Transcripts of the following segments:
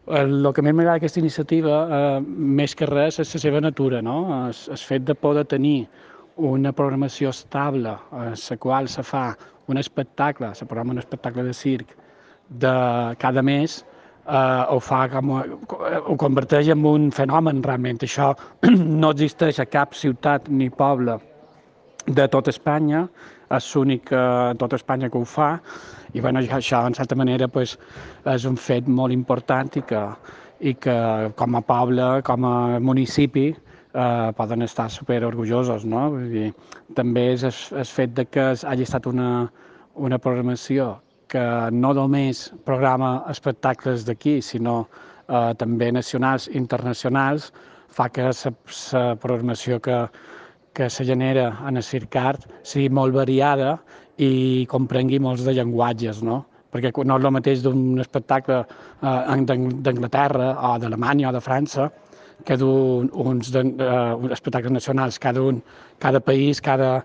El que més m'agrada d'aquesta iniciativa, més que res, és la seva natura, no? El fet de poder tenir una programació estable, en la qual se fa un espectacle, se programa un espectacle de circ de cada mes, ho fa ho converteix en un fenomen realment. Això no existeix a cap ciutat ni poble de tot Espanya, és l'únic en tota Espanya que ho fa, i bueno, això, en certa manera, pues, és un fet molt important i que com a poble, com a municipi, poden estar super orgullosos, no? Vull dir, també és el fet de que hagi estat una programació que no només programa espectacles d'aquí, sinó també nacionals i internacionals, fa que la programació que se genera en el Circart sigui molt variada i comprengui molts de llenguatges, no? Perquè no és el mateix d'un espectacle d'Anglaterra o d'Alemanya o de França que uns espectacles nacionals. Cada país, cada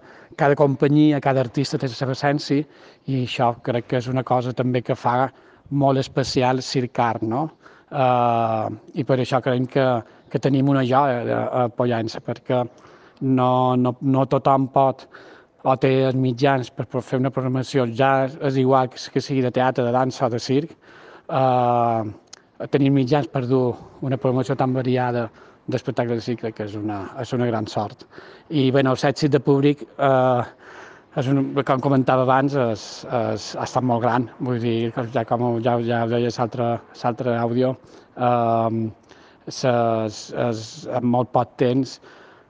companyia, cada artista té la seva essència i això crec que és una cosa també que fa molt especial Circart, no? I per això creiem que tenim una joia a Pollença, perquè no tothom pot o té els mitjans per fer una programació, ja és igual que sigui de teatre, de dansa o de circ, tenir mitjans per dur una programació tan variada d'espectacles de circ crec que és una gran sort. I bé, el èxit de públic, com comentava abans, ha estat molt gran. Vull dir, ja deia l'altre àudio, en molt poc temps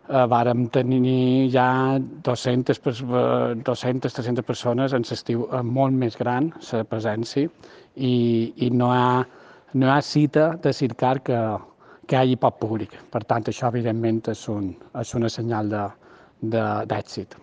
vàrem tenir ja 200-300 persones en l'estiu molt més gran, la presència, i no hi ha cita de Circar que hi hagi poc públic. Per tant, això, evidentment, és una senyal d'èxit.